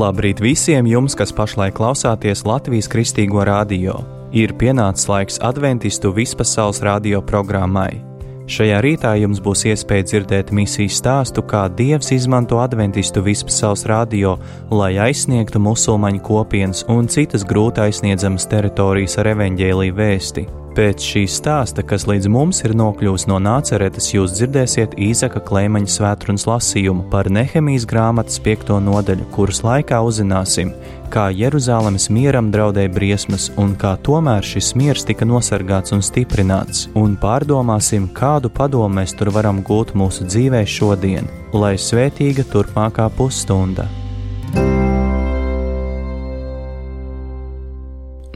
Labrīt visiem jums, kas pašlaik klausāties Latvijas Kristīgo radio. Ir pienācis laiks adventistu vispasaules radio programmai. Šajā rītā jums būs iespēja dzirdēt misijas stāstu, kā Dievs izmanto adventistu vispasaules radio, lai aizsniegtu musulmaņu kopienas un citas grūti aizsniedzamas teritorijas ar evaņģēliju vēsti. Pēc šī stāsta, kas līdz mums ir nokļūs no Nāceretes, jūs dzirdēsiet Īzaka Kleimaņa svētrunas lasījumu par Nehemijas grāmatas 5. nodaļu, kuras laikā uzzināsim, kā Jeruzalemes mieram draudēja briesmas un kā tomēr šis miers tika nosargāts un stiprināts, un pārdomāsim, kādu padomu mēs tur varam gūt mūsu dzīvē šodien, lai svētīga turpmākā pusstunda.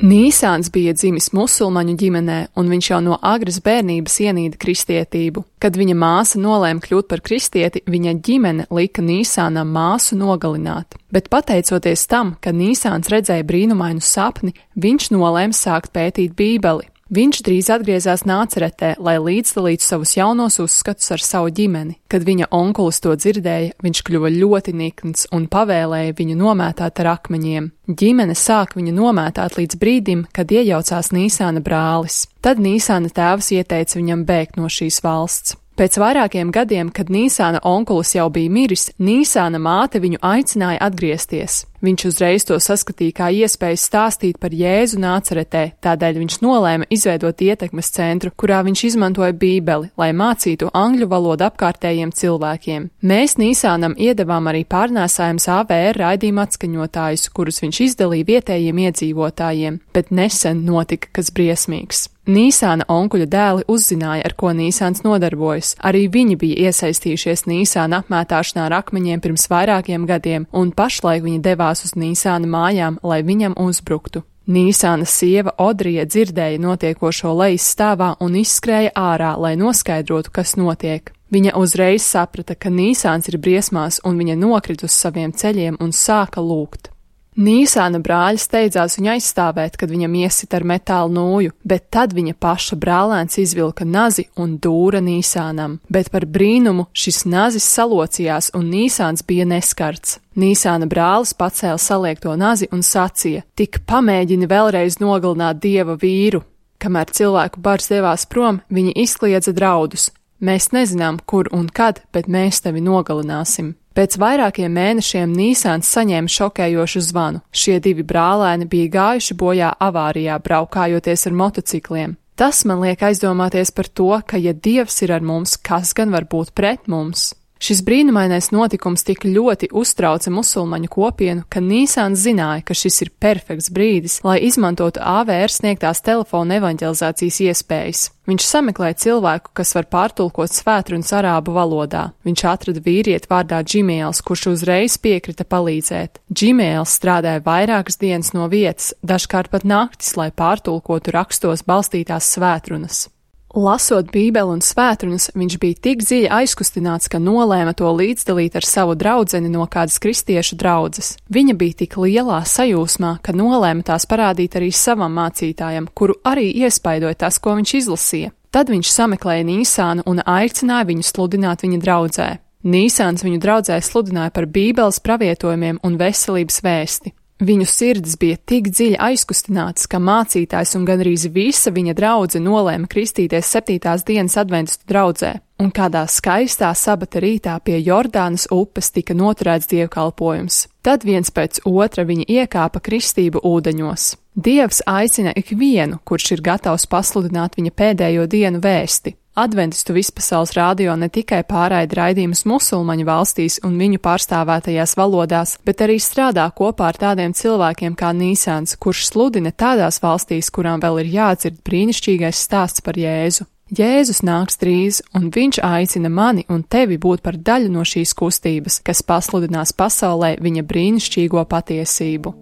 Nīsāns bija dzimis musulmaņu ģimenē, un viņš jau no agras bērnības ienīda kristietību. Kad viņa māsa nolēma kļūt par kristieti, viņa ģimene lika Nīsānam māsu nogalināt. Bet pateicoties tam, ka Nīsāns redzēja brīnumainu sapni, viņš nolēma sākt pētīt Bībeli. Viņš drīz atgriezās Nāceretē, lai līdzdalītu savus jaunos uzskatus ar savu ģimeni. Kad viņa onkulis to dzirdēja, viņš kļuva ļoti nikns un pavēlēja viņu nomētāt ar akmeņiem. Ģimene sāk viņu nomētāt līdz brīdim, kad iejaucās Nīsāna brālis. Tad Nīsāna tēvs ieteica viņam bēgt no šīs valsts. Pēc vairākiem gadiem, kad Nīsāna onkulis jau bija miris, Nīsāna māte viņu aicināja atgriezties. Viņš uzreiz to saskatīja kā iespēju stāstīt par Jēzu Nāceretē, tādēļ viņš nolēma izveidot ietekmes centru, kurā viņš izmantoja Bībeli, lai mācītu angļu valodu apkārtējiem cilvēkiem. Mēs Nīsānam iedavām arī pārnēsājums AVR raidījuma atskaņotājus, kurus viņš izdalīja vietējiem iedzīvotājiem, bet nesen notika kas briesmīgs. Nīsāna onkuļa dēli uzzināja, ar ko Nīsāns nodarbojas. Arī viņi bija iesaistījušies Nīsāna apmētāšanā ar akmeņiem pirms vairākiem gadiem, un pašlaik viņi devās uz Nīsāna mājām, lai viņam uzbruktu. Nīsāna sieva Odrija dzirdēja notiekošo lejas stāvā un izskrēja ārā, lai noskaidrotu, kas notiek. Viņa uzreiz saprata, ka Nīsāns ir briesmās, un viņa nokrit uz saviem ceļiem un sāka lūgt. Nīsāna brāļi steidzās viņu aizstāvēt, kad viņam iesit ar metāla nūju, bet tad viņa paša brālēns izvilka nazi un dūra Nīsānam. Bet par brīnumu šis nazis salocījās un Nīsāns bija neskarts. Nīsāna brālis pacēla saliekto nazi un sacīja: "Tik pamēģini vēlreiz nogalināt Dieva vīru." Kamēr cilvēku bars devās prom, viņi izkliedza draudus: "Mēs nezinām, kur un kad, bet mēs tevi nogalināsim." Pēc vairākiem mēnešiem Nīsāns saņēma šokējošu zvanu. Šie divi brālēni bija gājuši bojā avārijā, braukājoties ar motocikliem. Tas man liek aizdomāties par to, ka ja Dievs ir ar mums, kas gan var būt pret mums? Šis brīnumainais notikums tik ļoti uztrauca musulmaņu kopienu, ka Nīsāns zināja, ka šis ir perfekts brīdis, lai izmantotu AVR sniegtās telefona evaņģelizācijas iespējas. Viņš sameklēja cilvēku, kas var pārtulkot svētrunas arābu valodā. Viņš atrada vīrieti vārdā Džimēls, kurš uzreiz piekrita palīdzēt. Džimēls strādāja vairākas dienas no vietas, dažkārt pat naktis, lai pārtulkotu rakstos balstītās svētrunas. Lasot Bībeli un svētrunas, viņš bija tik dziļi aizkustināts, ka nolēma to līdzdalīt ar savu draudzeni no kādas kristiešu draudzes. Viņa bija tik lielā sajūsmā, ka nolēma tās parādīt arī savam mācītājam, kuru arī iespaidoja tas, ko viņš izlasīja. Tad viņš sameklēja Nīsānu un aicināja viņu sludināt viņa draudzē. Nīsāns viņu draudzē sludināja par Bībeles pravietojumiem un veselības vēsti. Viņu sirds bija tik dziļi aizkustināts, ka mācītājs un gandrīz visa viņa draudze nolēma kristīties 7. dienas adventistu draudzē, un kādā skaistā sabata rītā pie Jordānas upes tika noturēts dievkalpojums. Tad viens pēc otra viņi iekāpa kristību ūdeņos. Dievs aicina ikvienu, kurš ir gatavs pasludināt viņa pēdējo dienu vēsti. Adventistu vispasaules radio ne tikai pārraida raidījumus musulmaņu valstīs un viņu pārstāvētajās valodās, bet arī strādā kopā ar tādiem cilvēkiem kā Nīsāns, kurš sludina tādās valstīs, kurām vēl ir jādzird brīnišķīgais stāsts par Jēzu. Jēzus nāks drīz, un viņš aicina mani un tevi būt par daļu no šīs kustības, kas pasludinās pasaulē viņa brīnišķīgo patiesību.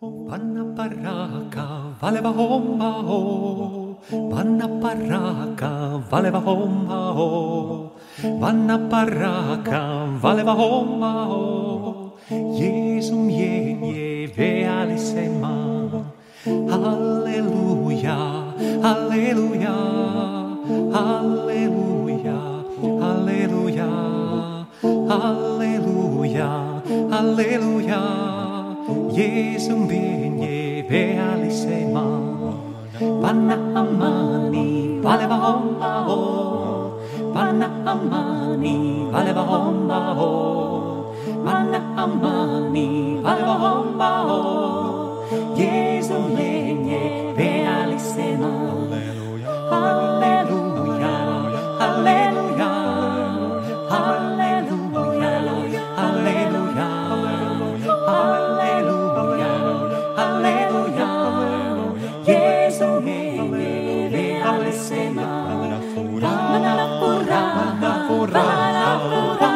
Vanna paraka, valeva homma ho. Vanna paraka, valeva homma ho. Vanna paraka, valeva homma ho. Jeesum je vealisema. Halleluja, halleluja, halleluja, halleluja. Halleluja, halleluja. Jeesum viene realisemaan. Panna amani, valeva homma ho. Panna amani, valeva homma ho. Panna amani, valeva homma ho. Jeesum viene realisemaan. Halleluja, halleluja. Halleluja, halleluja. Halleluja, halleluja. Jeesum viene realisemaan. Panna pura, pura, pura.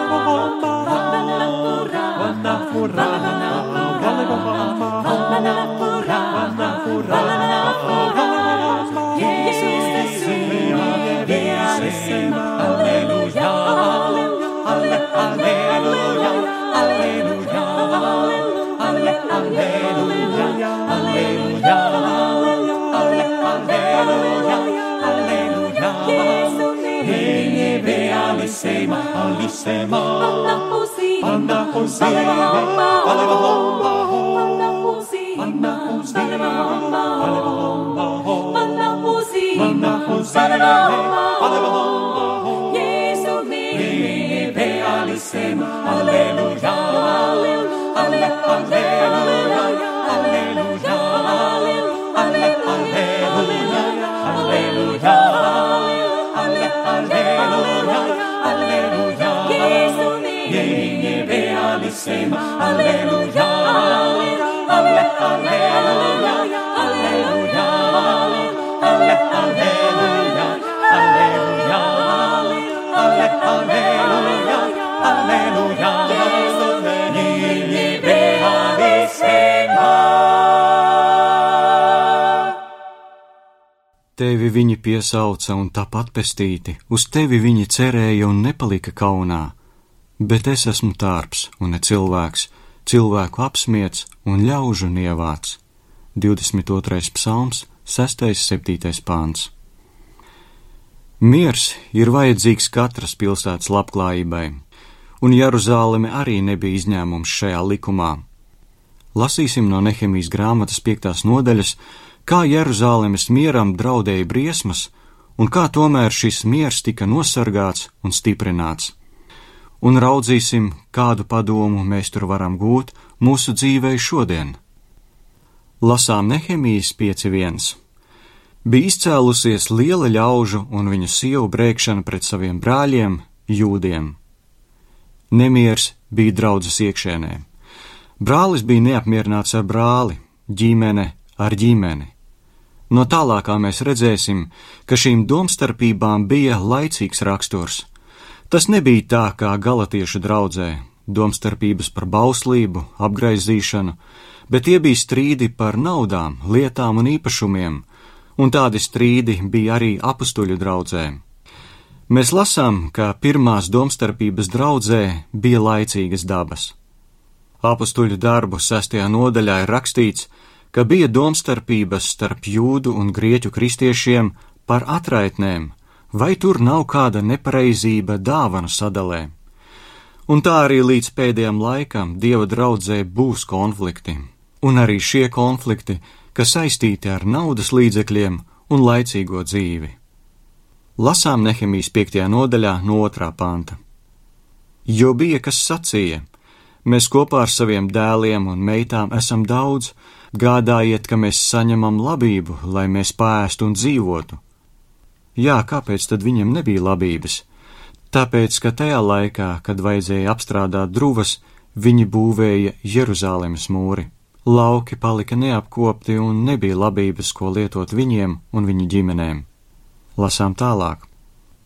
Panna così, valeva homma ho. Panna così, valeva homma ho. Panna così, valeva homma ho. Gesù viene realissima. Alleluia, alleluia, alleluia, alleluia, alleluia, alleluia, alleluia. Gesù viene realissima. Alleluia, alleluia, alleluia, alleluia, alleluia, alleluia, alleluia. Gesù viene realissima. Tevi viņi piesauca un tāpat pestīti, uz tevi viņi cerēja un nepalika kaunā. Bet es esmu tārps un ne cilvēks, cilvēku apsmiets un ļaužu nievāts. 22. psalms, 6.7. pāns. Miers ir vajadzīgs katras pilsētas labklājībai, un Jeruzāleme arī nebija izņēmums šajā likumā. Lasīsim no Nehemijas grāmatas 5. nodaļas, kā Jeruzālemes mieram draudēja briesmas, un kā tomēr šis miers tika nosargāts un stiprināts. Un raudzīsim, kādu padomu mēs tur varam gūt mūsu dzīvei šodien. Lasām Nehemijas 5.1. Bija izcēlusies liela ļaužu un viņu sievu brēkšana pret saviem brāļiem, jūdiem. Nemiers bija draudzes iekšēnē. Brālis bija neapmierināts ar brāli, ģimene ar ģimeni. No tālākā mēs redzēsim, ka šīm domstarpībām bija laicīgs raksturs. Tas nebija tā kā galatiešu draudzē, domstarpības par bauslību, apgraizīšanu, bet tie bija strīdi par naudām, lietām un īpašumiem, un tādi strīdi bija arī apustuļu draudzē. Mēs lasām, ka pirmās domstarpības draudzē bija laicīgas dabas. Apustuļu darbu 6. nodaļā ir rakstīts, ka bija domstarpības starp jūdu un grieķu kristiešiem par atraitnēm, vai tur nav kāda nepareizība dāvanu sadalē. Un tā arī līdz pēdējam laikam Dieva draudzē būs konflikti, un arī šie konflikti, kas saistīti ar naudas līdzekļiem un laicīgo dzīvi. Lasām Nehemijas 5. nodaļā no 2. panta. Jo bija, kas sacīja, mēs kopā ar saviem dēliem un meitām esam daudz, gādājiet, ka mēs saņemam labību, lai mēs pāēstu un dzīvotu. Jā, kāpēc tad viņam nebija labības? Tāpēc, ka tajā laikā, kad vajadzēja apstrādāt druvas, viņi būvēja Jeruzālemes mūri. Lauki palika neapkopti un nebija labības, ko lietot viņiem un viņu ģimenēm. Lasām tālāk.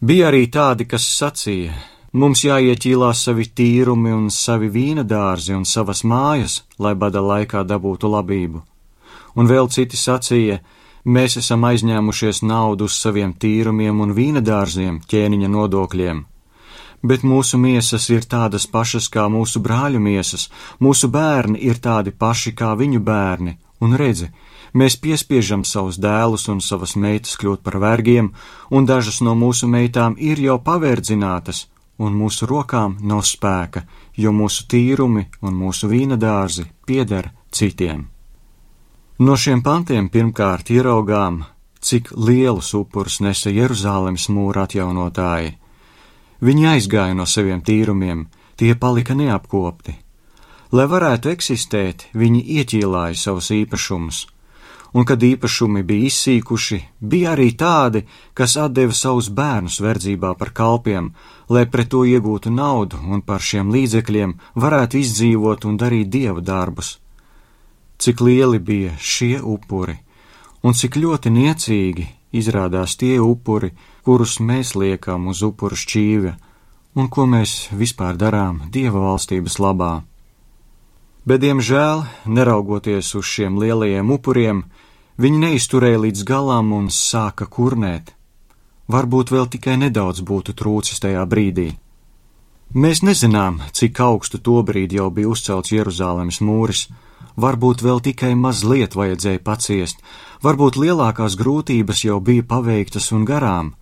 Bija arī tādi, kas sacīja, mums jāieķīlās savi tīrumi un savi vīna dārzi un savas mājas, lai bada laikā dabūtu labību. Un vēl citi sacīja, mēs esam aizņēmušies naudu uz saviem tīrumiem un vīna dārziem, ķēniņa nodokļiem. Bet mūsu miesas ir tādas pašas kā mūsu brāļu miesas, mūsu bērni ir tādi paši kā viņu bērni, un redzi, mēs piespiežam savus dēlus un savas meitas kļūt par vergiem, un dažas no mūsu meitām ir jau paverdzinātas, un mūsu rokām nav spēka, jo mūsu tīrumi un mūsu vīna dārzi pieder citiem. No šiem pantiem pirmkārt ieraugām, cik lielus upurus nesa Jeruzālemes mūra atjaunotāji. Viņi aizgāja no saviem tīrumiem, tie palika neapkopti. Lai varētu eksistēt, viņi ieķīlāja savus īpašumus, un kad īpašumi bija izsīkuši, bija arī tādi, kas atdeva savus bērnus verdzībā par kalpiem, lai pret to iegūtu naudu un par šiem līdzekļiem varētu izdzīvot un darīt dieva darbus. Cik lieli bija šie upuri, un cik ļoti niecīgi izrādās tie upuri, kurus mēs liekam uz upuru šķīvja, un ko mēs vispār darām dieva valstības labā. Bet, diemžēl, neraugoties uz šiem lielajiem upuriem, viņi neizturēja līdz galam un sāka kurnēt. Varbūt vēl tikai nedaudz būtu trūcis tajā brīdī. Mēs nezinām, cik augstu tobrīd jau bija uzcelts Jeruzālemes mūris. Varbūt vēl tikai mazliet vajadzēja paciest, varbūt lielākās grūtības jau bija paveiktas un garām,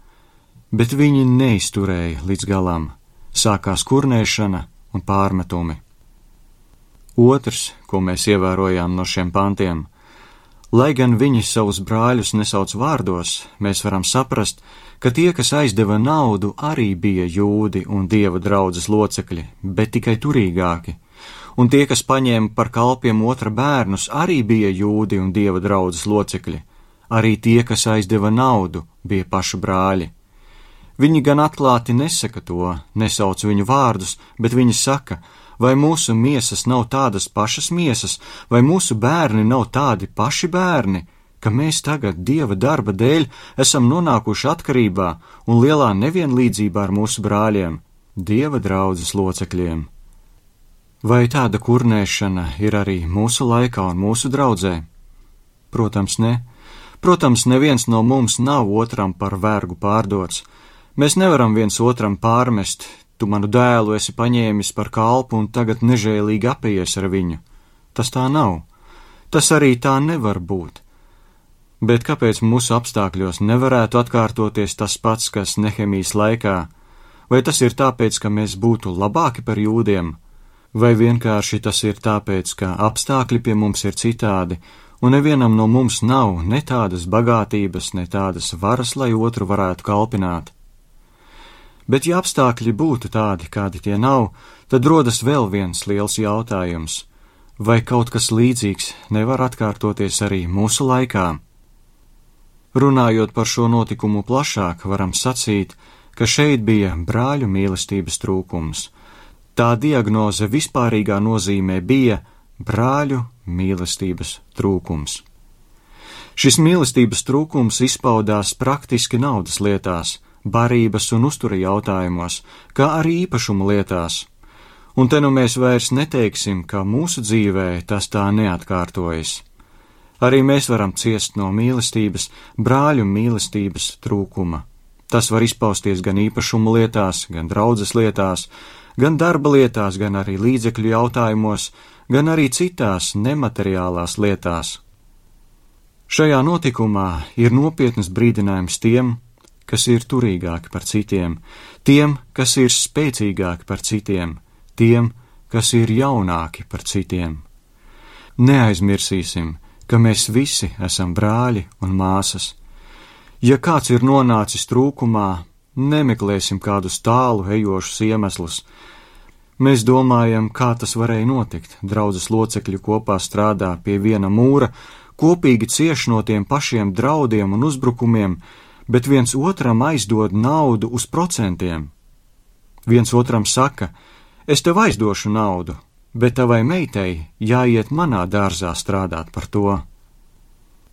bet viņi neizturēja līdz galam. Sākās kurnēšana un pārmetumi. Otrs, ko mēs ievērojām no šiem pantiem, lai gan viņi savus brāļus nesauc vārdos, mēs varam saprast, ka tie, kas aizdeva naudu, arī bija jūdi un dieva draudzes locekļi, bet tikai turīgāki. Un tie, kas paņēma par kalpiem otra bērnus, arī bija jūdi un dieva draudzes locekļi. Arī tie, kas aizdeva naudu, bija paši brāļi. Viņi gan atklāti nesaka to, nesauc viņu vārdus, bet viņi saka, vai mūsu miesas nav tādas pašas miesas, vai mūsu bērni nav tādi paši bērni, ka mēs tagad dieva darba dēļ esam nonākuši atkarībā un lielā nevienlīdzībā ar mūsu brāļiem, dieva draudzes locekļiem. Vai tāda kurnēšana ir arī mūsu laikā un mūsu draudzē? Protams, ne. Protams, neviens no mums nav otram par vergu pārdots. Mēs nevaram viens otram pārmest, tu manu dēlu esi paņēmis par kalpu un tagad nežēlīgi apējies ar viņu. Tas tā nav. Tas arī tā nevar būt. Bet kāpēc mūsu apstākļos nevarētu atkārtoties tas pats, kas Nehemijas laikā? Vai tas ir tāpēc, ka mēs būtu labāki par jūdiem? Vai vienkārši tas ir tāpēc, ka apstākļi pie mums ir citādi, un nevienam no mums nav ne tādas bagātības, ne tādas varas, lai otru varētu kalpināt? Bet ja apstākļi būtu tādi, kādi tie nav, tad rodas vēl viens liels jautājums. Vai kaut kas līdzīgs nevar atkārtoties arī mūsu laikā? Runājot par šo notikumu plašāk, varam sacīt, ka šeit bija brāļu mīlestības trūkums. Tā diagnoze vispārīgā nozīmē bija brāļu mīlestības trūkums. Šis mīlestības trūkums izpaudās praktiski naudas lietās, barības un uztura jautājumos, kā arī īpašuma lietās. Un te nu mēs vairs neteiksim, ka mūsu dzīvē tas tā neatkārtojas. Arī mēs varam ciest no mīlestības, brāļu mīlestības trūkuma. Tas var izpausties gan īpašuma lietās, gan draudzes lietās, gan darba lietās, gan arī līdzekļu jautājumos, gan arī citās nemateriālās lietās. Šajā notikumā ir nopietnas brīdinājums tiem, kas ir turīgāki par citiem, tiem, kas ir spēcīgāki par citiem, tiem, kas ir jaunāki par citiem. Neaizmirsīsim, ka mēs visi esam brāļi un māsas. Ja kāds ir nonācis trūkumā, nemeklēsim kādus tālu ejošus iemeslus. Mēs domājam, kā tas varēja notikt. Draudzes locekļi kopā strādā pie viena mūra, kopīgi cieš no tiem pašiem draudiem un uzbrukumiem, bet viens otram aizdod naudu uz procentiem. Viens otram saka, es tev aizdošu naudu, bet tavai meitai jāiet manā dārzā strādāt par to.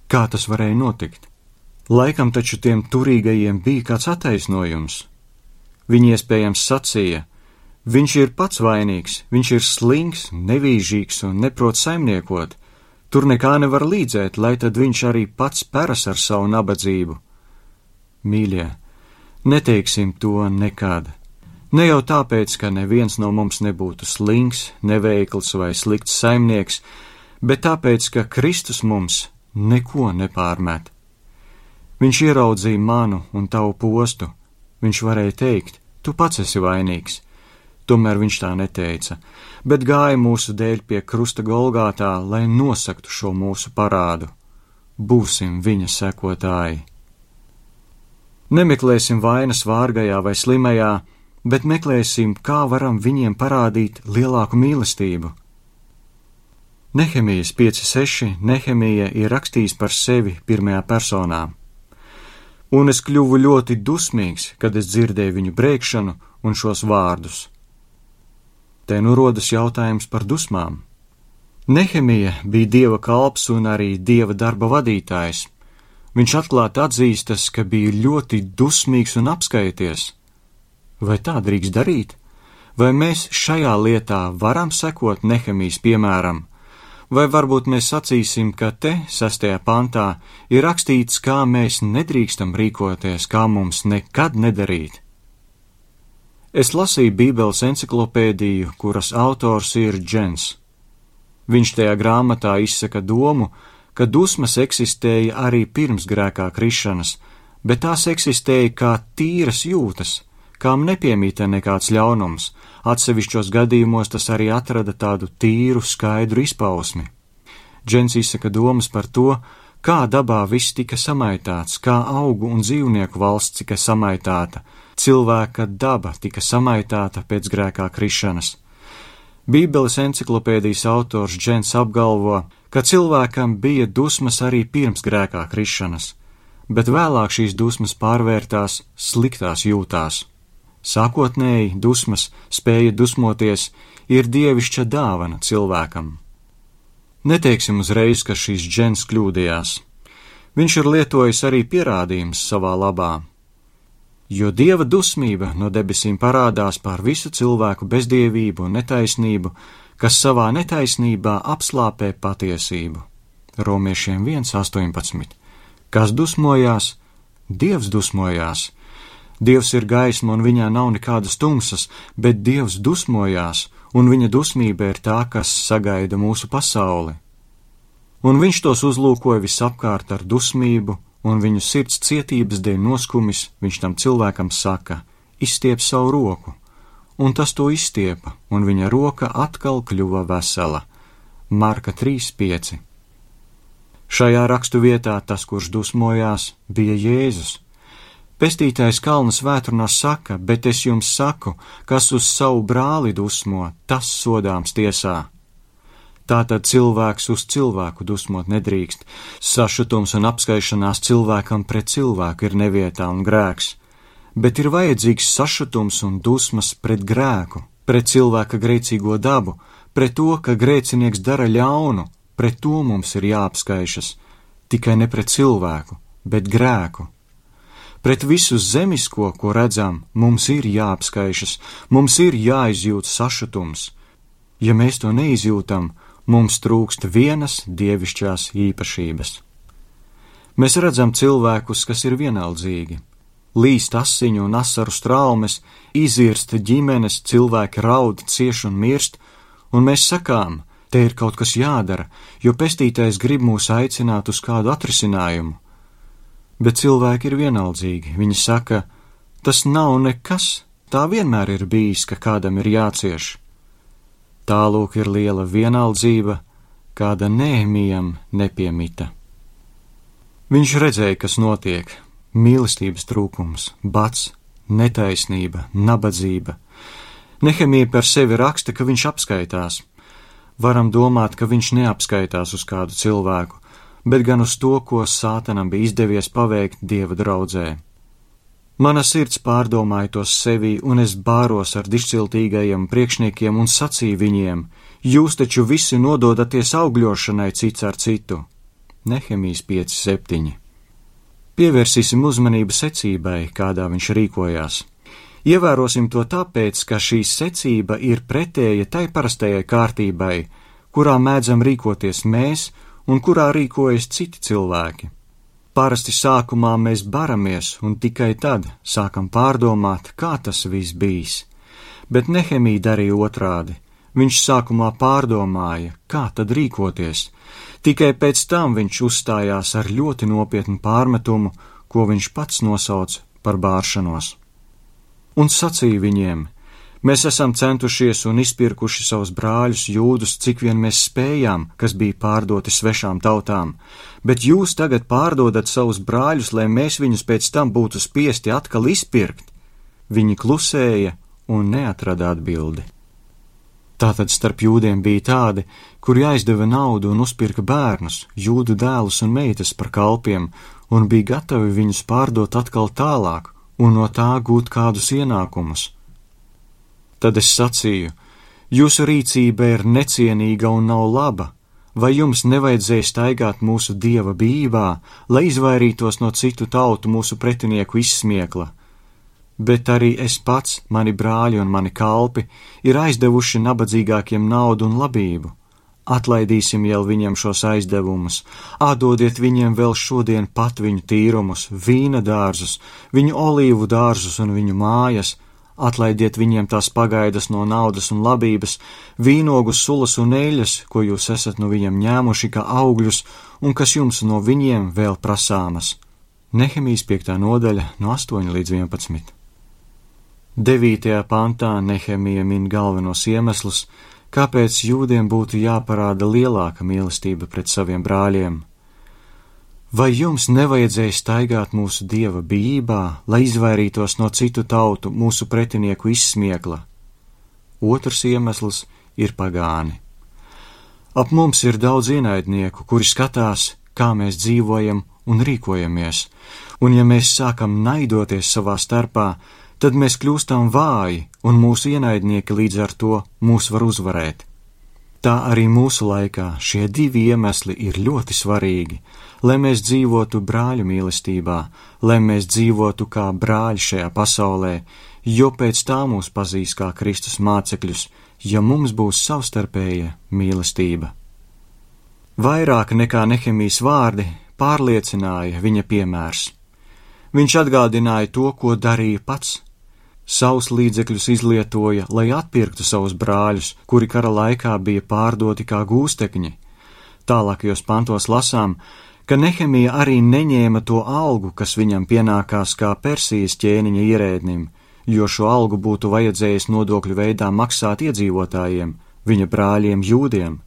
Kā tas varēja notikt? Laikam taču tiem turīgajiem bija kāds attaisnojums. Viņi iespējams sacīja, viņš ir pats vainīgs, viņš ir slings, nevīžīgs un neprot saimniekot. Tur nekā nevar līdzēt, lai tad viņš arī pats peras ar savu nabadzību. Mīļie, neteiksim to nekad. Ne jau tāpēc, ka neviens no mums nebūtu slings, neveikls vai slikts saimnieks, bet tāpēc, ka Kristus mums neko nepārmet. Viņš ieraudzīja manu un tavu postu. Viņš varēja teikt, tu pats esi vainīgs. Tomēr viņš tā neteica, bet gāja mūsu dēļ pie krusta Golgātā, lai nosaktu šo mūsu parādu. Būsim viņa sekotāji. Nemeklēsim vainas vārgajā vai slimajā, bet meklēsim, kā varam viņiem parādīt lielāku mīlestību. Nehemijas 5:6 Nehemija ir rakstījis par sevi pirmajā personā. Un es kļuvu ļoti dusmīgs, kad es dzirdēju viņu brēkšanu un šos vārdus. Te nu rodas jautājums par dusmām. Nehemija bija Dieva kalps un arī Dieva darba vadītājs. Viņš atklāti atzīstas, ka bija ļoti dusmīgs un apskaities. Vai tā drīkst darīt? Vai mēs šajā lietā varam sekot Nehemijas piemēram? Vai varbūt mēs sacīsim, ka te, 6. pantā, ir rakstīts, kā mēs nedrīkstam rīkoties, kā mums nekad nedarīt? Es lasīju Bībeles enciklopēdiju, kuras autors ir Džens. Viņš tajā grāmatā izsaka domu, ka dusmas eksistēja arī pirms grēkā krišanas, bet tās eksistēja kā tīras jūtas, kām nepiemīta nekāds ļaunums. Atsevišķos gadījumos tas arī atrada tādu tīru, skaidru izpausmi. Džens izsaka domas par to, kā dabā viss tika samaitāts, kā augu un dzīvnieku valsts tika samaitāta, cilvēka daba tika samaitāta pēc grēkā krišanas. Bībeles enciklopēdijas autors Džens apgalvo, ka cilvēkam bija dusmas arī pirms grēkā krišanas, bet vēlāk šīs dusmas pārvērtās sliktās jūtās. Sākotnēji dusmas, spēja dusmoties, ir dievišķa dāvana cilvēkam. Neteiksim uzreiz, ka šīs Džens kļūdījās. Viņš ir lietojis arī pierādījums savā labā. Jo Dieva dusmība no debesīm parādās pār visu cilvēku bezdievību un netaisnību, kas savā netaisnībā apslāpē patiesību. Romiešiem 1:18. Kas dusmojās? Dievs dusmojās. Dievs ir gaisma un viņā nav nekādas tumsas, bet Dievs dusmojās, un viņa dusmība ir tā, kas sagaida mūsu pasauli. Un viņš tos uzlūkoja visapkārt ar dusmību, un viņu sirds cietības dēļ noskumis, viņš tam cilvēkam saka, izstiep savu roku, un tas to izstiepa, un viņa roka atkal kļuva vesela. Marka 3:5. Šajā rakstu vietā tas, kurš dusmojās, bija Jēzus. Pestītājs Kalna svētrunā saka, bet es jums saku, kas uz savu brāli dusmo, tas sodāms tiesā. Tātad cilvēks uz cilvēku dusmot nedrīkst. Sašutums un apskaišanās cilvēkam pret cilvēku ir nevietā un grēks, bet ir vajadzīgs sašutums un dusmas pret grēku, pret cilvēka grēcīgo dabu, pret to, ka grēcinieks dara ļaunu, pret to mums ir jāapskaišas, tikai ne pret cilvēku, bet grēku. Pret visu zemisko, ko redzam, mums ir jāapskaišas, mums ir jāizjūt sašutums. Ja mēs to neizjūtam, mums trūkst vienas dievišķās īpašības. Mēs redzam cilvēkus, kas ir vienaldzīgi. Līst asiņu un asaru straumes, izirst ģimenes, cilvēki raud, cieš un mirst, un mēs sakām, te ir kaut kas jādara, jo pestītais grib mūs aicināt uz kādu atrisinājumu. Bet cilvēki ir vienaldzīgi. Viņi saka, tas nav nekas, tā vienmēr ir bijis, ka kādam ir jācieš. Tālūk ir liela vienaldzība, kāda Nehemijam nepiemita. Viņš redzēja, kas notiek - mīlestības trūkums, bats, netaisnība, nabadzība. Nehemija par sevi raksta, ka viņš apskaitās. Varam domāt, ka viņš neapskaitās uz kādu cilvēku, bet gan uz to, ko Sātanam bija izdevies paveikt Dieva draudzē. Mana sirds pārdomāja tos sevī, un es bāros ar dišciltīgajiem priekšniekiem un sacīju viņiem, jūs taču visi nododaties augļošanai cits ar citu. Nehemijas 5:7. Pievērsīsim uzmanību secībai, kādā viņš rīkojās. Ievērosim to tāpēc, ka šī secība ir pretēja tai parastajai kārtībai, kurā mēdzam rīkoties mēs un kurā rīkojas citi cilvēki. Parasti sākumā mēs baramies un tikai tad sākam pārdomāt, kā tas viss bijis. Bet Nehemija darīja otrādi. Viņš sākumā pārdomāja, kā tad rīkoties. Tikai pēc tam viņš uzstājās ar ļoti nopietnu pārmetumu, ko viņš pats nosauc par bāršanos. Un sacīja viņiem: mēs esam centušies un izpirkuši savus brāļus jūdus, cik vien mēs spējām, kas bija pārdoti svešām tautām, bet jūs tagad pārdodat savus brāļus, lai mēs viņus pēc tam būtu spiesti atkal izpirkt. Viņi klusēja un neatrada atbildi. Tātad starp jūdiem bija tādi, kuri aizdeva naudu un uzpirka bērnus, jūdu dēlus un meitas par kalpiem, un bija gatavi viņus pārdot atkal tālāk un no tā gūt kādus ienākumus. Tad es sacīju: jūsu rīcība ir necienīga un nav laba, vai jums nevajadzēja staigāt mūsu Dieva bijībā, lai izvairītos no citu tautu mūsu pretinieku izsmiekla? Bet arī es pats, mani brāļi un mani kalpi ir aizdevuši nabadzīgākiem naudu un labību. Atlaidīsim jau viņiem šos aizdevumus, atdodiet viņiem vēl šodien pat viņu tīrumus, vīna dārzus, viņu olīvu dārzus un viņu mājas, atlaidiet viņiem tās pagaidas no naudas un labības, vīnogus, sulas un eļas, ko jūs esat no viņiem ņēmuši kā augļus un kas jums no viņiem vēl prasāmas. Nehemijas 5. nodaļa no 8 līdz 11. 9. pantā Nehemija min galvenos iemeslus, kāpēc jūdiem būtu jāparāda lielāka mīlestība pret saviem brāļiem. Vai jums nevajadzēja staigāt mūsu Dieva bijībā, lai izvairītos no citu tautu mūsu pretinieku izsmiekla? Otrs iemesls ir pagāni. Ap mums ir daudz ienaidnieku, kuri skatās, kā mēs dzīvojam un rīkojamies, un ja mēs sākam naidoties savā starpā, tad mēs kļūstam vāji, un mūsu ienaidnieki līdz ar to mūs var uzvarēt. Tā arī mūsu laikā šie divi iemesli ir ļoti svarīgi, lai mēs dzīvotu brāļu mīlestībā, lai mēs dzīvotu kā brāļi šajā pasaulē, jo pēc tā mūs pazīs kā Kristus mācekļus, ja mums būs savstarpēja mīlestība. Vairāk nekā Nehemijas vārdi pārliecināja viņa piemērs. Viņš atgādināja to, ko darīja pats. Savus līdzekļus izlietoja, lai atpirktu savus brāļus, kuri kara laikā bija pārdoti kā gūstekņi. Tālākajos pantos lasām, ka Nehemija arī neņēma to algu, kas viņam pienākās kā Persijas ķēniņa ierēdnim, jo šo algu būtu vajadzējis nodokļu veidā maksāt iedzīvotājiem, viņa brāļiem jūdiem.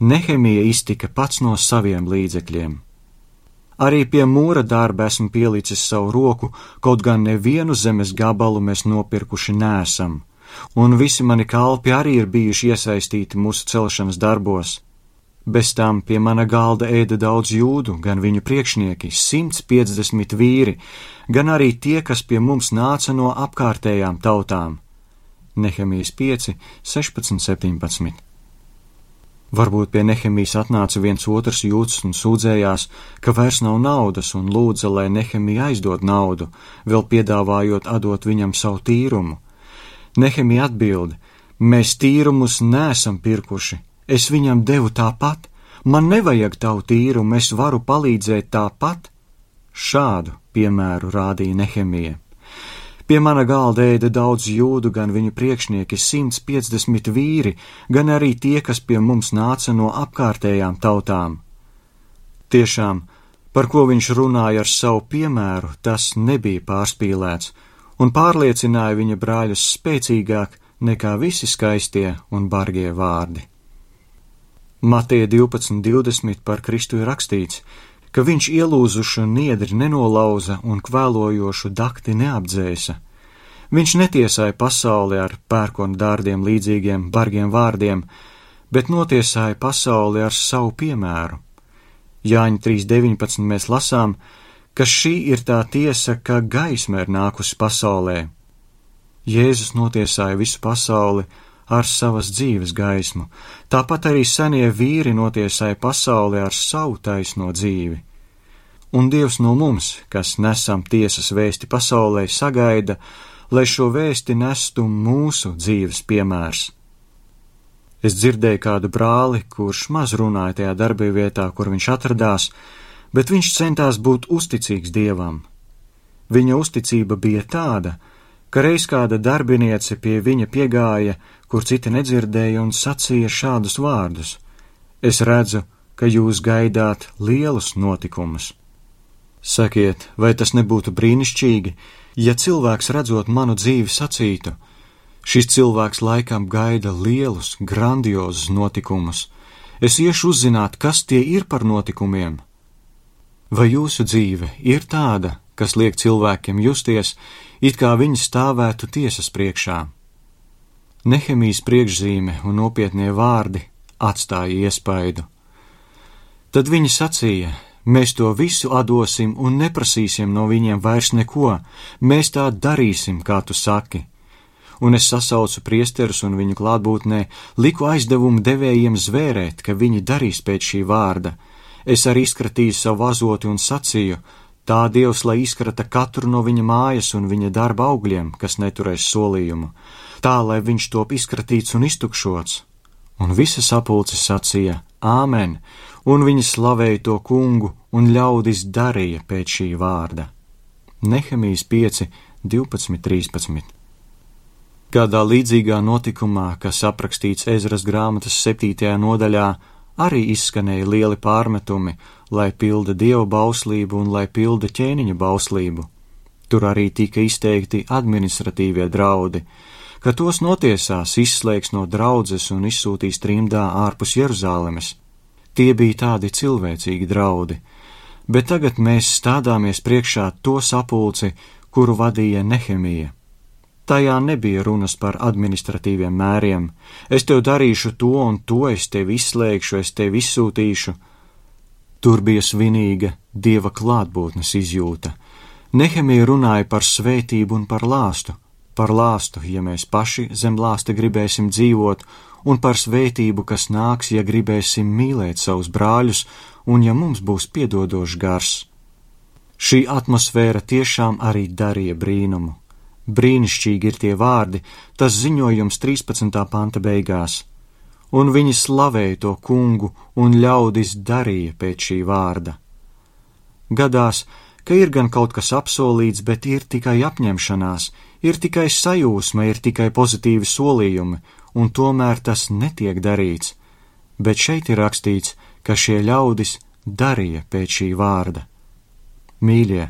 Nehemija iztika pats no saviem līdzekļiem. Arī pie mūra darba esmu pielicis savu roku, kaut gan nevienu zemes gabalu mēs nopirkuši nesam, un visi mani kalpi arī ir bijuši iesaistīti mūsu celšanas darbos. Bez tam pie mana galda ēda daudz jūdu, gan viņu priekšnieki, 150 vīri, gan arī tie, kas pie mums nāca no apkārtējām tautām. Nehemijas 5, 16, 17. Varbūt pie Nehemijas atnāca viens otrs jūds un sūdzējās, ka vairs nav naudas un lūdza, lai Nehemija aizdod naudu, vēl piedāvājot atdot viņam savu tīrumu. Nehemija atbild: mēs tīrumus neesam pirkuši, es viņam devu tāpat, man nevajag tavu tīrumu, es varu palīdzēt tāpat. Šādu piemēru rādīja Nehemija. Pie mana galda ēda daudz jūdu, gan viņu priekšnieki, 150 vīri, gan arī tie, kas pie mums nāca no apkārtējām tautām. Tiešām, par ko viņš runāja ar savu piemēru, tas nebija pārspīlēts, un pārliecināja viņa brāļus spēcīgāk nekā visi skaistie un bargie vārdi. Mateja 12:20 par Kristu ir rakstīts, ka viņš ielūzušu niedri nenolauza un kvēlojošu dakti neapdzēsa. Viņš netiesāja pasauli ar pērkona dārdiem līdzīgiem bargiem vārdiem, bet notiesāja pasauli ar savu piemēru. Jāņa 3:19 mēs lasām, ka šī ir tā tiesa, ka gaisma ir nākusi pasaulē. Jēzus notiesāja visu pasauli ar savas dzīves gaismu, tāpat arī senie vīri notiesāja pasauli ar savu taisno dzīvi. Un Dievs no mums, kas nesam tiesas vēsti pasaulē, sagaida, lai šo vēsti nestu mūsu dzīves piemērs. Es dzirdēju kādu brāli, kurš maz runāja tajā darbvietā, kur viņš atradās, bet viņš centās būt uzticīgs Dievam. Viņa uzticība bija tāda, ka reiz kāda darbiniece pie viņa piegāja, kur citi nedzirdēja, un sacīja šādus vārdus: es redzu, ka jūs gaidāt lielus notikumus. Sakiet, vai tas nebūtu brīnišķīgi, ja cilvēks redzot manu dzīvi sacītu: šis cilvēks laikam gaida lielus, grandiozus notikumus. Es iešu uzzināt, kas tie ir par notikumiem. Vai jūsu dzīve ir tāda, kas liek cilvēkiem justies, it kā viņi stāvētu tiesas priekšā? Nehemijas priekšzīme un nopietnie vārdi atstāja iespaidu. Tad viņi sacīja: mēs to visu atdosim un neprasīsim no viņiem vairs neko, mēs tā darīsim, kā tu saki. Un es sasaucu priesterus un viņu klātbūtnē liku aizdevumu devējiem zvērēt, ka viņi darīs pēc šī vārda. Es arī izkratīju savu azoti un sacīju: tā Dievs, lai izkrata katru no viņa mājas un viņa darba augļiem, kas neturēs solījumu, tā, lai viņš top izkratīts un iztukšots. Un visa sapulce sacīja: āmen, un viņi slavēja to kungu, un ļaudis darīja pēc šī vārda. Nehemijas 5, 12, 13. Kādā līdzīgā notikumā, kas aprakstīts Ezras grāmatas 7. nodaļā, arī izskanēja lieli pārmetumi, lai pilda Dieva bauslību un lai pilda ķēniņa bauslību. Tur arī tika izteikti administratīvie draudi, ka tos notiesās, izslēgs no draudzes un izsūtīs trimdā ārpus Jeruzālemes. Tie bija tādi cilvēcīgi draudi, bet tagad mēs stādāmies priekšā to sapulci, kuru vadīja Nehemija. Tajā nebija runas par administratīviem mēriem. Es tev darīšu to un to, es tevi izslēgšu, es tevi izsūtīšu. Tur bija svinīga Dieva klātbūtnes izjūta. Nehemija runāja par svētību un par lāstu. Par lāstu, ja mēs paši zem lāsta gribēsim dzīvot, un par svētību, kas nāks, ja gribēsim mīlēt savus brāļus, un ja mums būs piedodošs gars. Šī atmosfēra tiešām arī darīja brīnumu. Brīnišķīgi ir tie vārdi, tas ziņojums 13. panta beigās. Un viņi slavēja to kungu, un ļaudis darīja pēc šī vārda. Gadās, ka ir gan kaut kas apsolīts, bet ir tikai apņemšanās, ir tikai sajūsma, ir tikai pozitīvi solījumi, un tomēr tas netiek darīts. Bet šeit ir rakstīts, ka šie ļaudis darīja pēc šī vārda. Mīļie,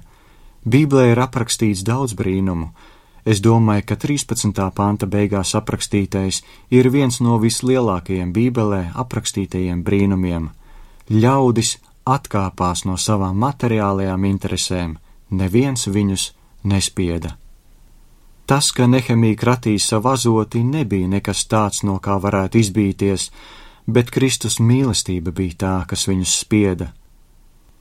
Bībelē ir aprakstīts daudz brīnumu. Es domāju, ka 13. panta beigās aprakstītais ir viens no vislielākajiem Bībelē aprakstītajiem brīnumiem. Ļaudis atkāpās no savām materiālajām interesēm, neviens viņus nespieda. Tas, ka Nehemija kratīja savu azoti, nebija nekas tāds, no kā varētu izbīties, bet Kristus mīlestība bija tā, kas viņus spieda.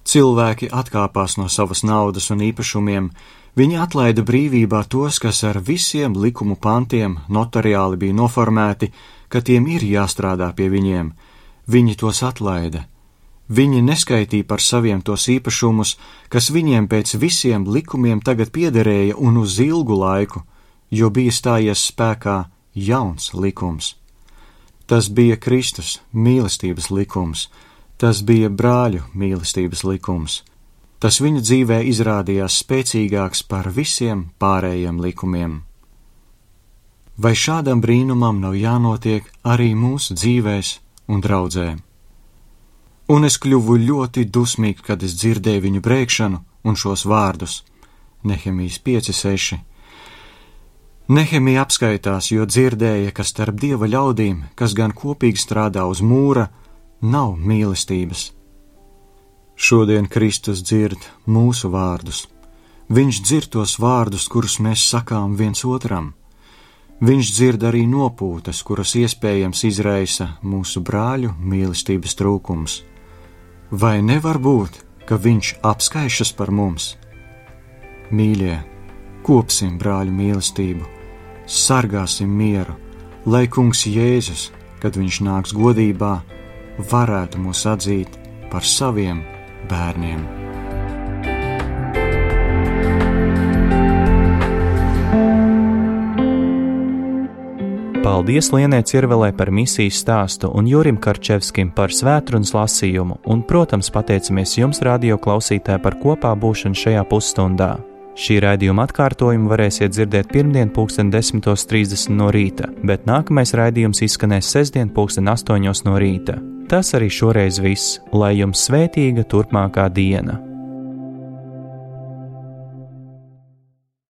Cilvēki atkāpās no savas naudas un īpašumiem, viņi atlaida brīvībā tos, kas ar visiem likumu pantiem notariāli bija noformēti, ka tiem ir jāstrādā pie viņiem. Viņi tos atlaida. Viņi neskaitīja par saviem tos īpašumus, kas viņiem pēc visiem likumiem tagad piederēja un uz ilgu laiku, jo bija stājies spēkā jauns likums. Tas bija Kristus mīlestības likums, tas bija brāļu mīlestības likums. Tas viņu dzīvē izrādījās spēcīgāks par visiem pārējiem likumiem. Vai šādam brīnumam nav jānotiek arī mūsu dzīvēs un draudzē? Un es kļuvu ļoti dusmīgs, kad es dzirdēju viņu brēkšanu un šos vārdus. Nehemijas 5:6. Nehemija apskaitās, jo dzirdēja, ka starp Dieva ļaudīm, kas gan kopīgi strādā uz mūra, nav mīlestības. Šodien Kristus dzird mūsu vārdus. Viņš dzird tos vārdus, kurus mēs sakām viens otram. Viņš dzird arī nopūtas, kuras iespējams izraisa mūsu brāļu mīlestības trūkums. Vai nevar būt, ka viņš apskaišas par mums? Mīļie, kopsim brāļu mīlestību, sargāsim mieru, lai Kungs Jēzus, kad viņš nāks godībā, varētu mūs atzīt par saviem bērniem. Paldies Lienai Cirvelē par misijas stāstu un Jurim Karčevskim par svētrunas lasījumu, un, protams, pateicamies jums, radio klausītāji, par kopā būšanu šajā pusstundā. Šī raidījuma atkārtojumu varēsiet dzirdēt pirmdien 10:30 no rīta, bet nākamais raidījums izskanēs sestdien 8:00 no rīta. Tas arī šoreiz viss, lai jums svētīga turpmākā diena.